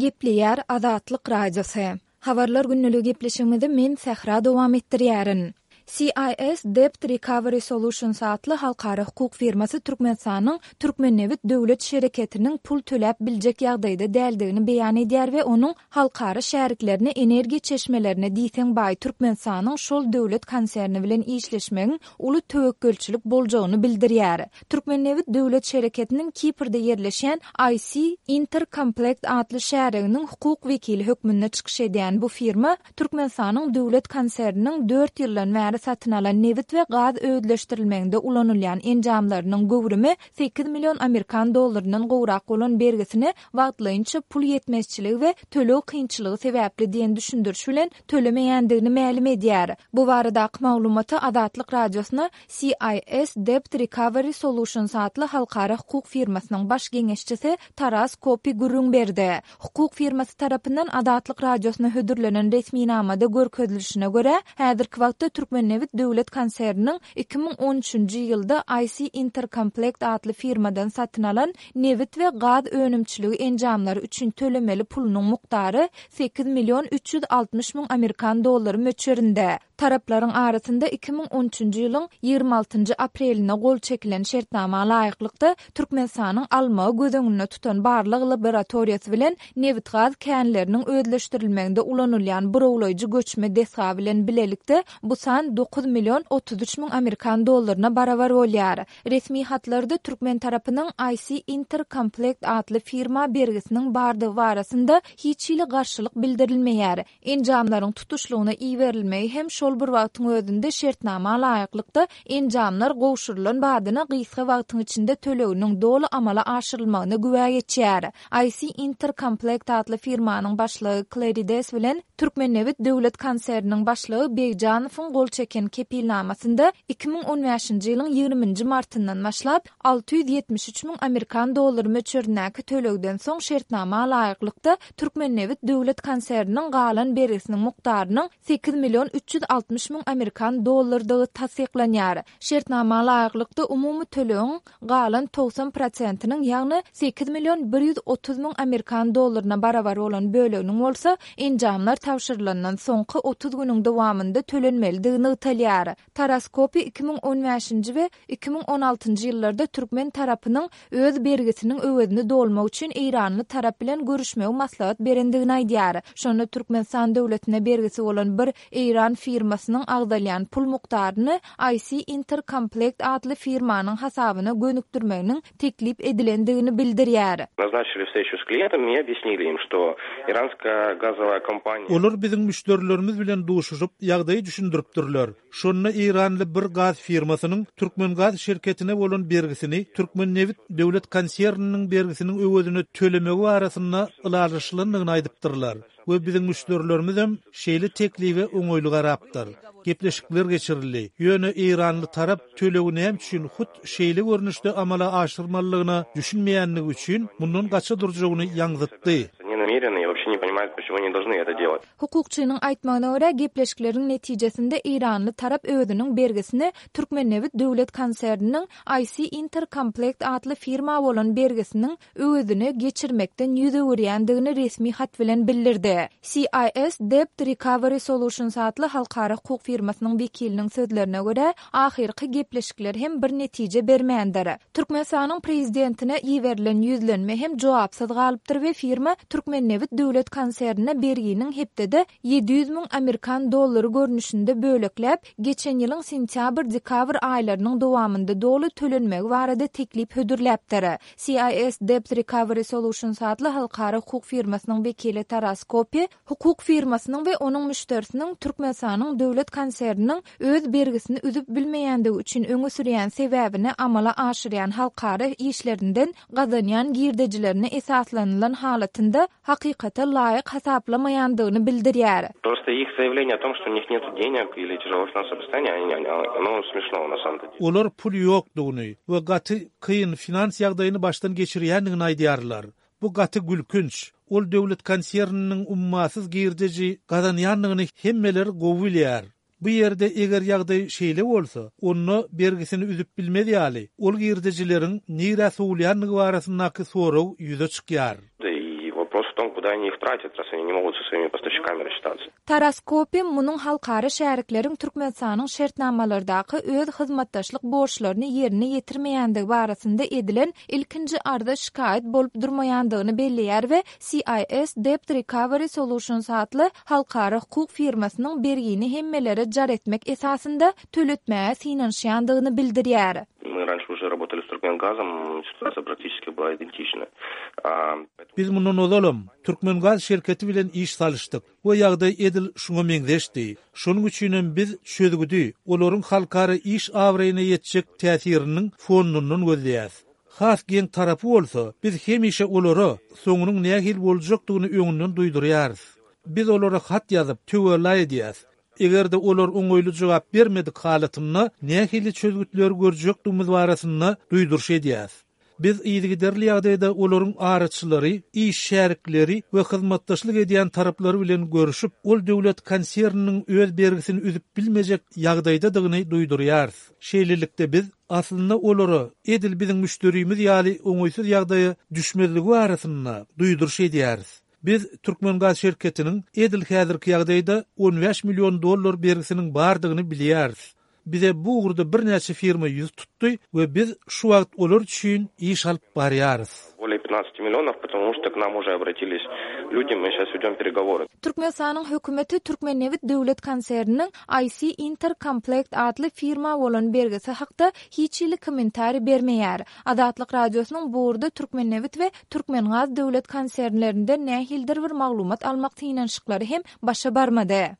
Gepleýär Azatlyk Radiosy. Habarlar gündeligi gepleşigimizi men Sähra dowam etdirýärin. CIS Debt Recovery Solutions atly halkara hukuk firmasy Türkmenistanyň Türkmennebit döwlet şereketiniň pul töläp biljek ýagdaýda däldigini beýan edýär we onuň halkara şäriklerine energiýa çeşmelerine diýseň baý Türkmenistanyň şol döwlet konserni bilen işleşmegiň uly töwekgelçilik boljagyny bildirýär. Türkmennebit döwlet şereketiniň Kiprde ýerleşýän IC Interkomplekt atly şäriginiň hukuk wekili hökmünde çykyş edýän bu firma Türkmenistanyň döwlet konserniniň dört ýyldan bäri satyn alan nebit we gaz özleşdirilmeginde ulanylýan enjamlarynyň göwrümi sekiz million amerikan dollaryndan gowrak bolan bergisini wagtlaýynça pul ýetmezçiligi we töleg kynçylygy sebäpli diýen düşündiriş bilen tölemeýändigini mälim edýär. Bu baradaky maglumaty Azatlyk Radiosyna CIS Debt Recovery Solutions atly halkara hukuk firmasynyň baş geňeşçisi Taras Kopi gürrüň berdi. Hukuk firmasy tarapyndan Azatlyk Radiosyna hödürlenen resminamada görkezilişine görä, häzirki wagtda Türkmennebit döwlet konserniniň 2013-nji ýylda IC Interkomplekt atly firmadan satyn alan nebit we gaz önümçiligi enjamlary üçin tölemeli pulunyň mukdary sekiz million 360 müň amerikan dollary möçberinde. Taraplaryň arasynda 2013-nji ýylyň 26-njy aprelinde gol çekilen şertnama laýyklykda, Türkmenistanyň almagy göz öňünde tutan barlag laboratoriýasy bilen nebitgaz känleriniň özleşdirilmeginde ulanylýan burawlaýjy göçme desga bilen bilelikde bu san dokuz million 33 müň amerikan dollaryna barabar bolýar. Resmi hatlarda türkmen tarapynyň IC Interkomplekt atly firma bergisiniň bardygy barasynda hiç hili garşylyk bildirilmeýär. Enjamlaryň tutuşlygyna iberilmegi hem şol bir wagtyň özünde şertnama laýyklykda enjamlar gowşurylan badyna gysga wagtyň içinde töleginiň doly amala aşyrylmagyna güwä geçýär. IC Interkomplekt atly firmanyň başlygy Klerides bilen Türkmennebit döwlet konserniniň başlygy Begjanowyň gol çeken kepilnamasynda 2015-nji ýylyň ýigriminji martyndan başlap 673 müň amerikan dollary möçberindäki tölegden soň şertnama laýyklykda Türkmennebit döwlet konserniniň galan bergisiniň mukdarynyň sekiz million 360 müň amerikan dollardygy tassyklanýar. Şertnama laýyklykda umumy tölegiň galan 90 prosentiniň, ýagny sekiz million 130 müň amerikan dollaryna barabar bolan böleginiň bolsa enjamlar tabşyrylandan soňky 30 günüň dowamynda tölenmelidigi nygtalýar. Taras Kopi 2015-nji we 2016-njy ýyllarda türkmen tarapynyň öz bergisiniň öwezini dolmak üçin eýranly tarap bilen görüşmegi maslahat berendigini aýdýar. Şonda Türkmenistan döwletine bergisi bolan bir eýran firmasynyň agzalýan pul mukdaryny IC Interkomplekt atly firmanyň hasabyna gönükdirmeginiň teklip edilendigini bildirýär. Naznaçili wstreçu s klientami i obýasnili im, çto iranskaýa gazowaýa kompaniýa. Olar biziň müşderilerimiz bilen duşuşyp, ýagdaýy düşündiripdirler. Şonda eýranly bir gaz firmasynyň Türkmengaz şirketine bolan bergisini Türkmennebit döwlet konserniniň bergisiniň öwezine tölemegi barasynda ylalaşylandygyny aýdypdyrlar we biziň müşderilerimizem şeýle teklibe oňaýly garapdyr. Gepleşikler geçirildi. Ýöne eýranly tarap tölegi näme üçin hut şeýle görnüşde amala aşyrmalydygyna düşünmeýändigi üçin mundan gaça durjagyny ýaňzytdy. Hukukçynyň aýtmagyna görä, gepleşikleriň netijesinde eýranly tarap özüniň bergisini Türkmennebit döwlet konserniniň IC Interkomplekt atly firma bolan bergisiniň öwezine geçirmekden ýüz öwürýändigini resmi hat bilen bildirdi. CIS Debt Recovery Solutions atly halkara hukuk firmasynyň wekiliniň sözlerine görä, ahyrky gepleşikler hem bir netije bermändir. Türkmenistanyň Prezidentine iberilen ýüzlenme hem jogapsyz galypdyr we firma Türkmennebit döwlet konsernine berginiň hepdede 700 müň amerikan dollary görnüşinde bölekläp, geçen ýylyň sentýabr-dekabr aýlarynyň dowamynda doly tölenmegi barada teklip hödürläpdir. CIS Debt Recovery Solutions atly halkara hukuk firmasynyň wekili Taras Kopi Hukuk firmasynyň we onuň müşderisiniň Türkmenistanyň döwlet konserniniň öz bergisini üzüp bilmeýändigi üçin öňe sürýän sebäbini amala aşyrýan halkara işlerinden gazanýan girdejilerine esaslanylan halatynda hakykata laýyk hasaplamaýandygyny bildirýär. Prosto ih zaýawleniýe o tom, çto u nih netu deneg ili týaželo finansowoe sostoýaniýe, ono smešno na samom dele. Olar pul ýokdugyny we gaty kyn finans ýagdaýyny başdan geçirýändigini aýdýarlar. Bu gaty gülkünç. Ol döwlet konserniniň ummasyz girdeji gazanýandygyny hemmeler gowy bilýär. Bu ýerde eger ýagdaý şeýle bolsa, onda bergisini üzüp bilmez ýaly, ol girdejileriň nirä sowulýandygy barasyndaky sorag ýüze çykýar. том, куда они их тратят, раз они не могут со своими поставщиками рассчитаться. Taras Kopim munuň halkara şärikleriň Türkmenistanyň şertnamalardaky öz hyzmatdaşlyk borçlaryny ýerine ýetirmeýändigi barasynda edilen ilkinji arza-şikaýat bolup durmaýandygyny belleýär we CIS Debt Recovery Solutions atly halkara hukuk firmasynyň bergini hemmelere jar etmek esasynda töletmäge synanyşýandygyny bildirýär. Мы раньше уже работали с Туркменгазом, ситуация практически была идентична. Biz mundan ozalam Türkmengaz şirketi bilen iş salyşdyk we ýagdaý edil şuňa meňzeşdi. Şonuň üçinem biz çözgüdi olaryň halkara iş abraýyna ýetjek täsiriniň fondundan gözleýäs. Has geň tarapy bolsa, biz hemişe olara soňunyň nähili boljakdygyny öňünden duýdurýarys. Biz olara hat ýazyp, töwella edýäs. Eger-de olar oňaýly jogap bermedik halatynda nähili çözgütleri görjekdigimiz barasynda duýduryş edýäs. Biz yzygiderli ýagdaýda olaryň araçylary, iş şärikleri we hyzmatdaşlyk edýän taraplary bilen görüşip, ol döwlet konserniniň öz bergisini üzüp bilmejek ýagdaýdadygyny duýdurýarys. Şeýlelikde biz, aslynda olara edil biziň müşderimiz ýaly oňaýsyz ýagdaýa düşmezligi barasynda duýduryş edýäris. Biz Türkmengaz şirketiniň edil häzirki ýagdaýda 15 million dollar bergisiniň bardygyny bilýäris. Bize bu ugurda birnäçe firma ýüz tutdy we biz şu wagt olar üçin iş alyp barýarys. Bolее 15 millionov, потому что к нам уже обратились люди, мы сейчас ведем переговоры. Türkmenistanyň hökümeti Türkmennebit döwlet konserniniň IC Inter Komplekt atly firma bolan bergisi hakda hiç hili kommentariý bermeýär. Azatlyk Radiosynyň bu ugurda Türkmennebit we Türkmengaz döwlet konsernlerinden nähilidir bir maglumat almak synanyşyklary hem başa barmady.